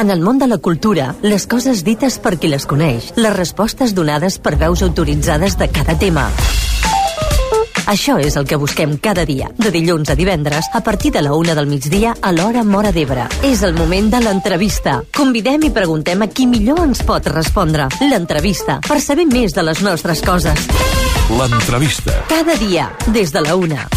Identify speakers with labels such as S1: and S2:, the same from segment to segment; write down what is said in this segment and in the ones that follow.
S1: En el món de la cultura, les coses dites per qui les coneix, les respostes donades per veus autoritzades de cada tema. Això és el que busquem cada dia, de dilluns a divendres, a partir de la 1 del migdia a l'hora Móra d'Ebre. És el moment de l'entrevista. Convidem i preguntem a qui millor ens pot respondre. L'entrevista, per saber més de les nostres coses.
S2: L'entrevista.
S1: Cada dia, des de la 1.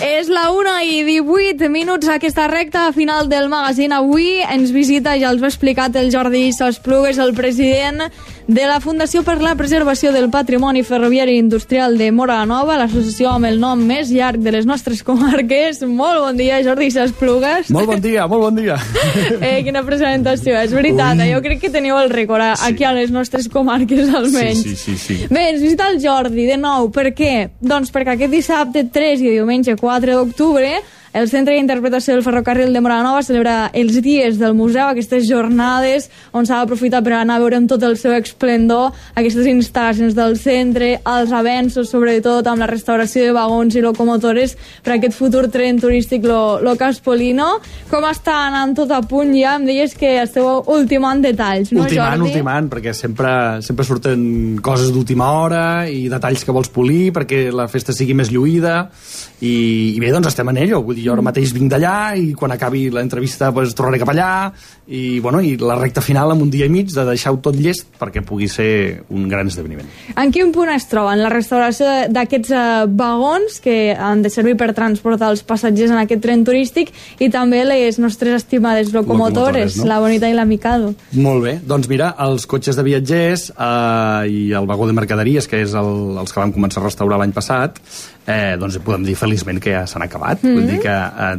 S3: És la 1:18 aquesta recta final del magazín. Avui ens visita, ja els ho ha explicat el Jordi Esplugues, el president de la Fundació per la Preservació del Patrimoni Ferroviari i Industrial de Móra la Nova, l'associació amb el nom més llarg de les nostres comarques. Molt bon dia, Jordi Esplugues.
S4: Molt bon dia, molt bon dia.
S3: Quina presentació, és veritat. Jo crec que teniu el rècord aquí a les nostres comarques, almenys.
S4: Sí.
S3: Bé, ens visita el Jordi, de nou. Per què? Doncs perquè aquest dissabte 3 i diumenge 4 d'octubre el Centre d'Interpretació del Ferrocarril de Móra la Nova celebra els dies del museu, aquestes jornades on s'ha d'aprofitar per anar a veure amb tot el seu esplendor aquestes instal·lacions del centre, els avenços, sobretot amb la restauració de vagons i locomotores per aquest futur tren turístic lo Caspolino. Com està anant tot a punt ja? Em deies que esteu ultimant detalls, no, Jordi?
S4: Ultimant, perquè sempre surten coses d'última hora i detalls que vols polir perquè la festa sigui més lluïda i bé, doncs estem en ello. Vull dir, jo ara mateix vinc d'allà i quan acabi l'entrevista pues, tornaré cap allà i la recta final amb un dia i mig de deixar-ho tot llest perquè pugui ser un gran esdeveniment.
S3: En quin punt es troben la restauració d'aquests vagons que han de servir per transportar els passatgers en aquest tren turístic i també les nostres estimades locomotores, no? La Bonita i la Mikado?
S4: Molt bé, doncs mira, els cotxes de viatgers i el vagó de mercaderies, que és els que vam començar a restaurar l'any passat, doncs podem dir feliçment que ja s'han acabat. Vull dir que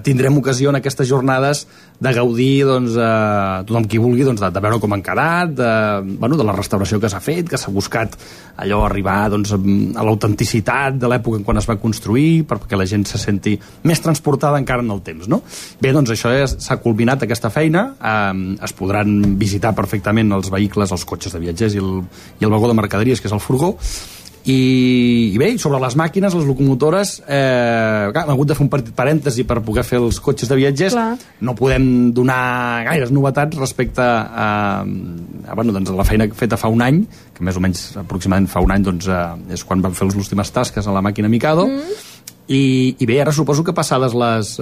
S4: tindrem ocasió en aquestes jornades de gaudir tothom qui vulgui de veure com han quedat, de la restauració que s'ha fet, que s'ha buscat allò arribar a l'autenticitat de l'època en quan es va construir perquè la gent se senti més transportada encara en el temps, no? Bé, doncs això s'ha culminat, aquesta feina. Es podran visitar perfectament els vehicles, els cotxes de viatgers i el vagó de mercaderies, que és el furgó. I bé, sobre les màquines, les locomotores, hem hagut de fer un petit parèntesi per poder fer els cotxes de viatgers.
S3: Clar.
S4: No podem donar gaires novetats respecte a la feina feta fa un any, que més o menys aproximadament fa un any és quan vam fer les últimes tasques a la màquina Mikado. I bé, ara suposo que passades les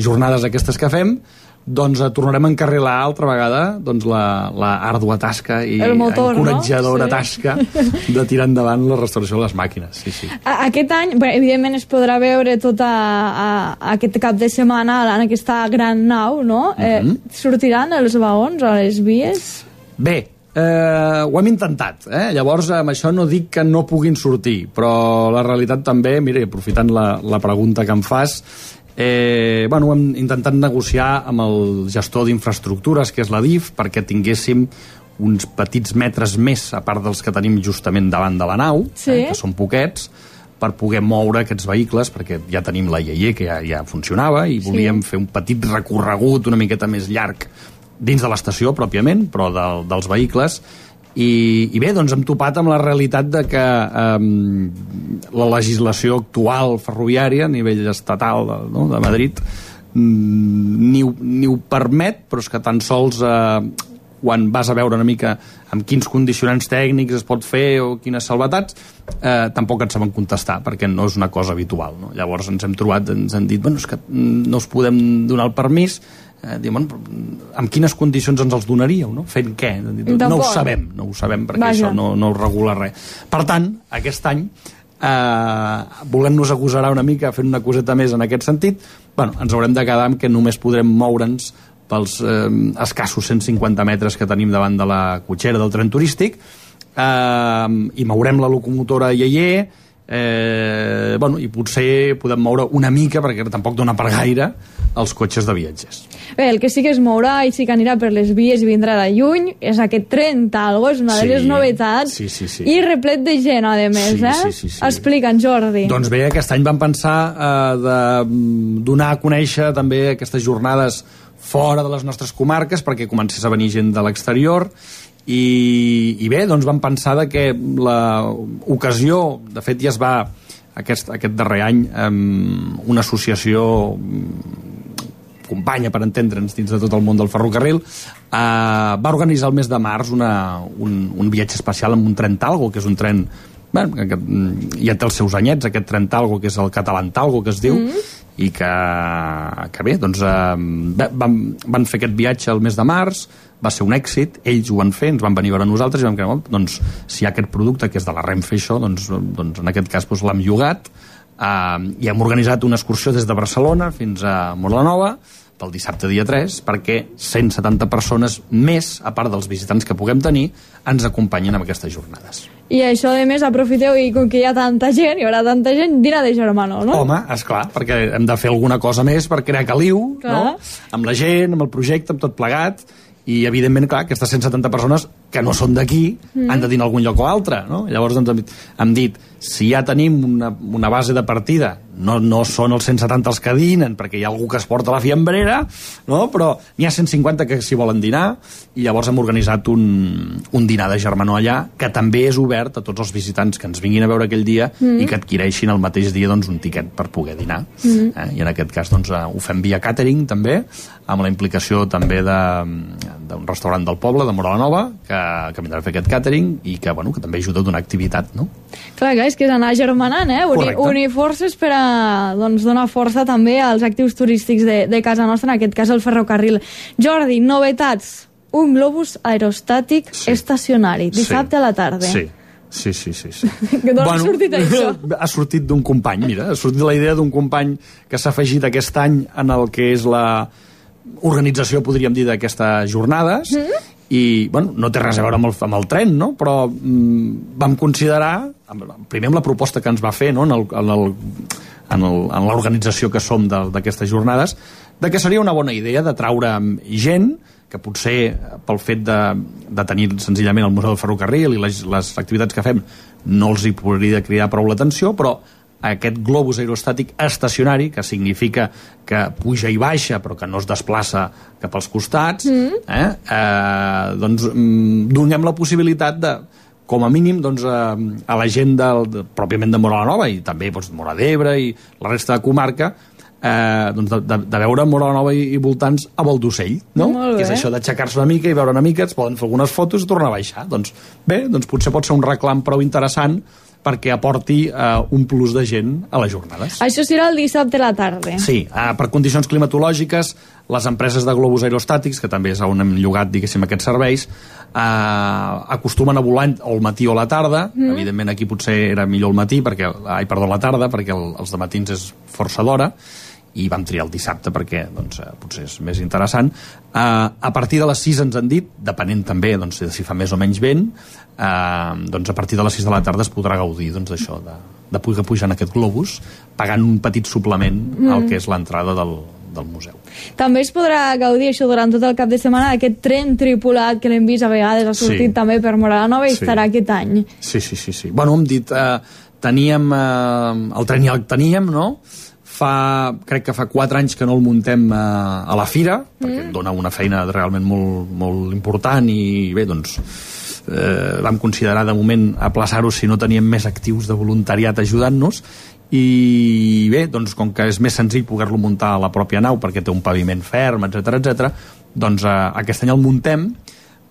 S4: jornades aquestes que fem, tornarem a encarrilar altra vegada la àrdua tasca i encoratjadora tasca de tirar endavant la restauració de les màquines. Sí.
S3: Aquest any, evidentment, es podrà veure tot aquest cap de setmana en aquesta gran nau, no? Sortiran els vagons a les vies?
S4: Bé, ho hem intentat, llavors amb això no dic que no puguin sortir, però la realitat també, mira, aprofitant la pregunta que em fas, hem intentat negociar amb el gestor d'infraestructures, que és la DIF, perquè tinguéssim uns petits metres més, a part dels que tenim justament davant de la nau, que són poquets, per poder moure aquests vehicles, perquè ja tenim la IAE, que ja funcionava, i volíem fer un petit recorregut una miqueta més llarg dins de l'estació, pròpiament, però dels vehicles. I bé, doncs hem topat amb la realitat de que la legislació actual ferroviària a nivell estatal de Madrid ni ho permet, però és que tan sols quan vas a veure una mica amb quins condicionants tècnics es pot fer o quines salvetats, tampoc ens saben contestar, perquè no és una cosa habitual, no? Llavors ens hem trobat, ens han dit, és que no us podem donar el permís. Amb quines condicions ens els donaríeu, no? Fent què? No ho sabem perquè això no ho regula res. Per tant, aquest any, volent-nos agosarar una mica, fent una coseta més en aquest sentit, ens haurem de quedar amb que només podrem moure'ns pels escassos 150 metres que tenim davant de la cotxera del tren turístic, i mourem la locomotora IAE i potser podem moure una mica, perquè tampoc dona per gaire, els cotxes de viatgers.
S3: Bé, el que sí que es mourà i sí que anirà per les vies i vindrà de lluny és aquest tren Talgo, és una de les novetats, i replet de gent, a més,
S4: Sí.
S3: Explica'ns, Jordi.
S4: Doncs bé, aquest any vam pensar de donar a conèixer també aquestes jornades fora de les nostres comarques perquè comencés a venir gent de l'exterior i bé, doncs vam pensar que l'ocasió, de fet ja es va aquest darrer any una associació companya, per entendre'ns, dins de tot el món del ferrocarril, va organitzar el mes de març un viatge especial amb un tren Talgo, que és un tren ja té els seus anyets, aquest tren Talgo, que és el català Talgo, que es diu, i que bé, doncs van fer aquest viatge el mes de març, va ser un èxit, ells ho van fer, ens van venir a veure nosaltres i vam creure, doncs, si hi ha aquest producte que és de la Renfe, això, doncs en aquest cas l'hem llogat, i hem organitzat una excursió des de Barcelona fins a Móra-la-Nova pel dissabte dia 3, perquè 170 persones més, a part dels visitants que puguem tenir, ens acompanyen en aquestes jornades.
S3: I això, a més, aprofiteu, i com que hi ha tanta gent, hi haurà tanta gent, dinar de germanor, no?
S4: Home, esclar, perquè hem de fer alguna cosa més per crear caliu, no? Amb la gent, amb el projecte, amb tot plegat, i evidentment, clar, aquestes 170 persones que no són d'aquí han de dir en algun lloc o altre, no? Llavors hem dit, si ja tenim una base de partida, no són els 170 els que dinen, perquè hi ha algú que es porta la fiambrera, no? Però n'hi ha 150 que s'hi volen dinar, i llavors hem organitzat un dinar de germanor allà, que també és obert a tots els visitants que ens vinguin a veure aquell dia i que adquireixin el mateix dia doncs, un tiquet per poder dinar. I en aquest cas doncs, ho fem via catering també, amb la implicació també d'un restaurant del poble, de Móra-la-Nova, que vindrà a fer aquest catering i que també ajuda a donar activitat, no?
S3: Clar, és que és anar germanant, unir forces per a donar força també als actius turístics de casa nostra, en aquest cas el ferrocarril. Jordi, novetats. Un globus aerostàtic estacionari, dissabte a la tarda.
S4: Sí.
S3: D'on ha sortit això?
S4: Ha sortit d'un company, mira, ha sortit la idea d'un company que s'ha afegit aquest any en el que és la organització, podríem dir, d'aquestes jornades, i no té res a veure amb el tren, no? Però vam considerar, primer amb la proposta que ens va fer, no? En l'organització que som d'aquestes jornades, de que seria una bona idea de traure gent que potser pel fet de tenir senzillament el Museu del Ferrocarril i les activitats que fem no els hi podria cridar prou l'atenció, però aquest globus aerostàtic estacionari, que significa que puja i baixa però que no es desplaça cap als costats, doncs donem la possibilitat de, com a mínim, doncs, a la gent pròpiament de Móra-la-Nova i també Móra d'Ebre i la resta de comarca, de veure Móra-la-Nova i voltants a vol d'ocell, no? Que és això d'aixecar-se una mica i veure una mica, es poden fer algunes fotos i tornar a baixar. Doncs bé, potser pot ser un reclam prou interessant perquè aporti un plus de gent a les jornades.
S3: Això serà el dissabte a la tarda.
S4: Sí, per condicions climatològiques, les empreses de globus aerostàtics, que també és on hem llogat, diguéssim, aquests serveis, acostumen a volar o al matí o a la tarda. Evidentment aquí potser era millor la tarda, perquè els de matins és força d'hora, i vam triar el dissabte perquè potser és més interessant. A partir de les 6 ens han dit, depenent també de si fa més o menys vent, a partir de les 6 de la tarda es podrà gaudir d'això, de poder pujar en aquest globus, pagant un petit suplement al que és l'entrada del museu.
S3: També es podrà gaudir això durant tot el cap de setmana d'aquest tren tripulat que l'hem vist a vegades, ha sortit també per Móra-la-Nova i estarà aquest any.
S4: Sí. Hem dit, teníem el tren ja el teníem, no? Crec que fa 4 anys que no el muntem a la fira, perquè em dona una feina realment molt, molt important i bé, doncs vam considerar de moment aplaçar-ho si no teníem més actius de voluntariat ajudant-nos, i bé, doncs com que és més senzill poder-lo muntar a la pròpia nau perquè té un paviment ferm, etc., doncs aquest any el muntem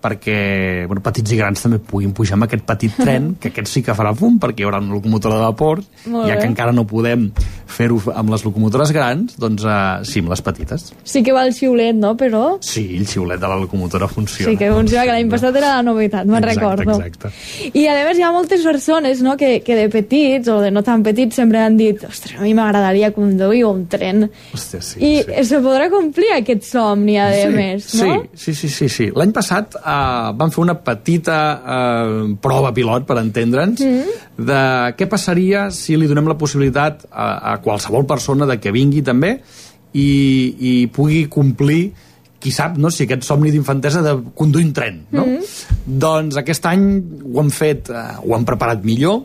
S4: perquè petits i grans també puguin pujar amb aquest petit tren, que aquest sí que farà fum, perquè hi haurà una locomotora de vapor, ja que encara no podem fer-ho amb les locomotores grans, doncs sí, amb les petites.
S3: Sí que va el xiulet, no? Però...
S4: Sí, el xiulet de la locomotora funciona.
S3: Sí que funciona, que l'any passat era la novetat, me'n recordo.
S4: Exacte.
S3: I a més hi ha moltes persones, no?, que de petits o de no tan petits sempre han dit, ostres, a mi m'agradaria conduir un tren.
S4: Hòstia, sí.
S3: I se podrà complir aquest somni, a més, no?
S4: Sí. L'any passat vam fer una petita prova pilot, per entendre'ns, de què passaria si li donem la possibilitat a qualsevol persona de que vingui també i pugui complir, qui sap, no?, si aquest somni d'infantesa de conduir un tren, no? Doncs aquest any ho hem fet, ho hem preparat millor,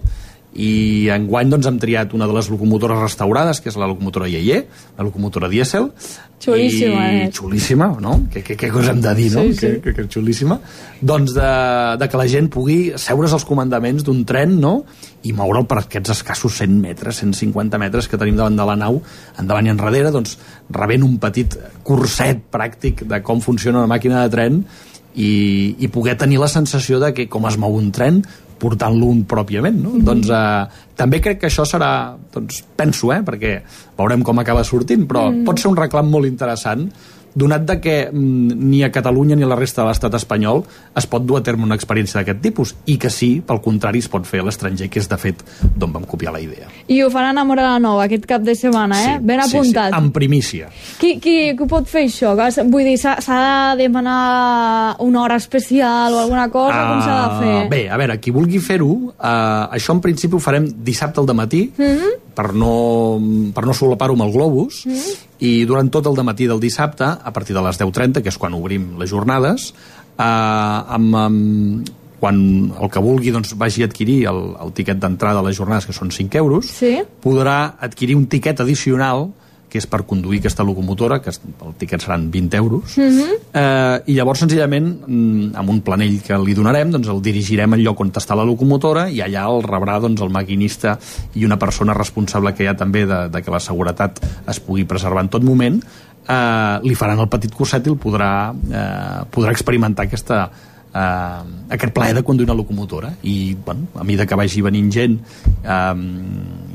S4: i enguany doncs, hem triat una de les locomotores restaurades, que és la locomotora Yeye, la locomotora dièsel.
S3: Xulíssima,
S4: Xulíssima, no? Què cosa hem de dir, no?
S3: Sí.
S4: Que xulíssima. Doncs de que la gent pugui seure's als comandaments d'un tren, no?, i moure'l per aquests escassos 100 metres, 150 metres que tenim davant de la nau, endavant i enrere, doncs rebent un petit curset pràctic de com funciona una màquina de tren i poder tenir la sensació de que com es mou un tren portant-lo un pròpiament, no? Doncs també crec que això serà, doncs penso, perquè veurem com acaba sortint, però pot ser un reclam molt interessant, donat de que ni a Catalunya ni a la resta de l'estat espanyol es pot dur a terme una experiència d'aquest tipus, i que sí, pel contrari, es pot fer a l'estranger, que és de fet d'on vam copiar la idea.
S3: I ho faran a Móra la Nova aquest cap de setmana, ben apuntat.
S4: Sí, en primícia.
S3: Qui ho pot fer, això? Vull dir, s'ha de demanar una hora especial o alguna cosa? Com s'ha de fer?
S4: Bé, a veure, qui vulgui fer-ho, això en principi ho farem dissabte al dematí, per no solapar-ho amb el globus, i durant tot el dematí del dissabte, a partir de les 10:30, que és quan obrim les jornades, quan el que vulgui doncs, vagi a adquirir el tiquet d'entrada a les jornades, que són 5 euros, podrà adquirir un tiquet addicional, que és per conduir aquesta locomotora, que el tiquet seran 20 euros, i llavors senzillament amb un planell que li donarem doncs el dirigirem al lloc on està la locomotora, i allà el rebrà doncs, el maquinista i una persona responsable que hi ha també de que la seguretat es pugui preservar en tot moment. Li faran el petit curset i el podrà experimentar aquest plaer de conduir una locomotora, i bueno, a mesura que vagi venint gent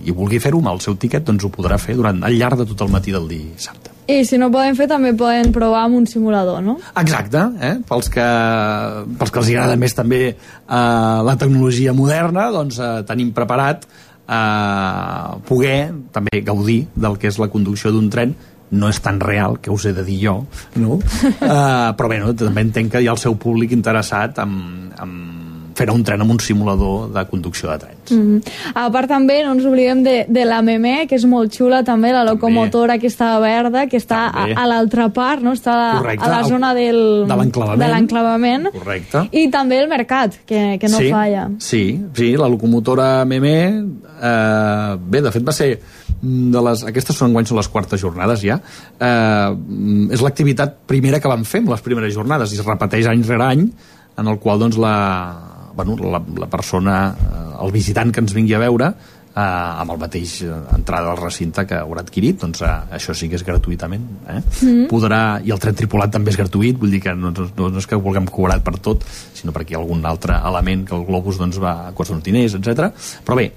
S4: i vulgui fer-ho amb el seu tiquet, doncs ho podrà fer al llarg de tot el matí del dissabte.
S3: I si no poden fer, també poden provar amb un simulador, no?
S4: Exacte, pels que els agrada més també la tecnologia moderna, doncs tenim preparat poder també gaudir del que és la conducció d'un tren. No és tan real, que us he de dir jo, no? Però bé, també entenc que hi ha el seu públic interessat en fer un tren amb un simulador de conducció de trens.
S3: A part també no ens oblidem de la Meme, que és molt xula també, la locomotora aquesta verda, que està a l'altra part, no? Està a la zona de l'enclavament.
S4: Correcte.
S3: I també el mercat, que no falla.
S4: Sí, la locomotora Meme, bé, de fet va ser aquestes són les quartes jornades ja, és l'activitat primera que vam fer amb les primeres jornades, i es repeteix any rere any, en el qual doncs la persona, el visitant que ens vingui a veure, amb el mateix entrada al recinte que haurà adquirit, doncs això sí que és gratuïtament, podrà, i el tren tripulat també és gratuït, vull dir que no és que vulguem cobrar per tot, sinó perquè hi ha algun altre element que el globus doncs va a costa d'un diners, etc. Però bé,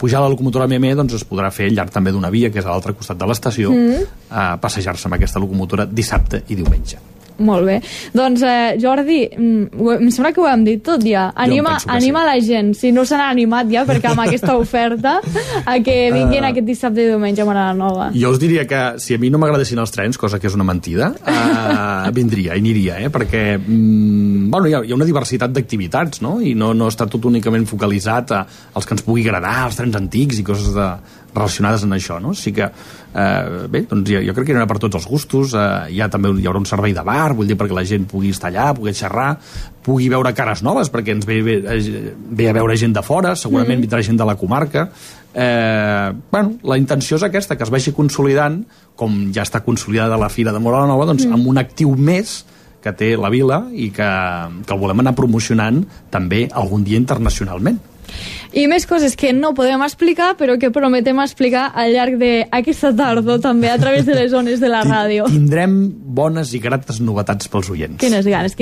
S4: pujar a la locomotora Meme doncs es podrà fer al llarg també d'una via, que és a l'altre costat de l'estació, passejar-se amb aquesta locomotora dissabte i diumenge.
S3: Molt bé. Doncs, Jordi, em sembla que ho hem dit tot ja. Anima la gent, si no se n'ha animat ja, perquè amb aquesta oferta, a que vinguin aquest dissabte i diumenge a Móra la Nova.
S4: Jo us diria que si a mi no m'agradessin els trens, cosa que és una mentida, vindria i aniria, perquè hi ha una diversitat d'activitats, no? I no està tot únicament focalitzat als que ens pugui agradar, els trens antics i coses relacionades amb això, no? Així que, bé, doncs jo crec que hi haurà per tots els gustos, hi haurà un servei de bar, vull dir, perquè la gent pugui estar allà, pugui xerrar, pugui veure cares noves, perquè ens ve a veure gent de fora, segurament vindrà gent de la comarca. La intenció és aquesta, que es vagi consolidant, com ja està consolidada la Fira de Móra la Nova, doncs amb un actiu més que té la vila i que el volem anar promocionant també algun dia internacionalment.
S3: I més coses que no podem explicar, però que prometem explicar al llarg d'aquesta tardor també a través de les zones de la ràdio.
S4: Tindrem bones i grates novetats pels oients.
S3: Quines ganes.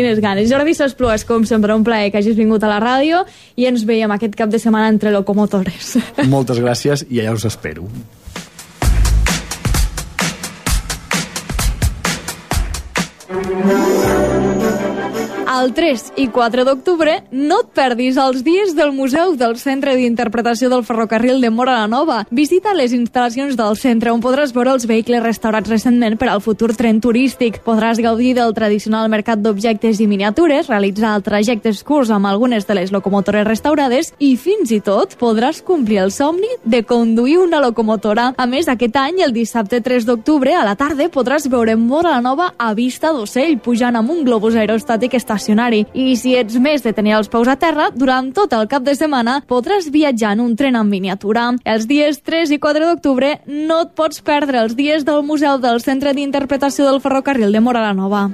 S3: Jordi Sasplues, com sempre, un plaer que hagis vingut a la ràdio, i ens veiem aquest cap de setmana entre locomotores.
S4: Moltes gràcies i allà us espero.
S3: el 3 i 4 d'octubre no et perdis els dies del Museu del Centre d'Interpretació del Ferrocarril de Móra la Nova. Visita les instal·lacions del centre on podràs veure els vehicles restaurats recentment per al futur tren turístic. Podràs gaudir del tradicional mercat d'objectes i miniatures, realitzar trajectes curts amb algunes de les locomotores restaurades i fins i tot podràs complir el somni de conduir una locomotora. A més, aquest any, el dissabte 3 d'octubre, a la tarda, podràs veure Móra la Nova a vista d'ocell, pujant amb un globus aerostàtic estacionari. I si ets més de tenir els peus a terra, durant tot el cap de setmana podràs viatjar en un tren en miniatura. Els dies 3 i 4 d'octubre no et pots perdre els dies del Museu del Centre d'Interpretació del Ferrocarril de Móra la Nova.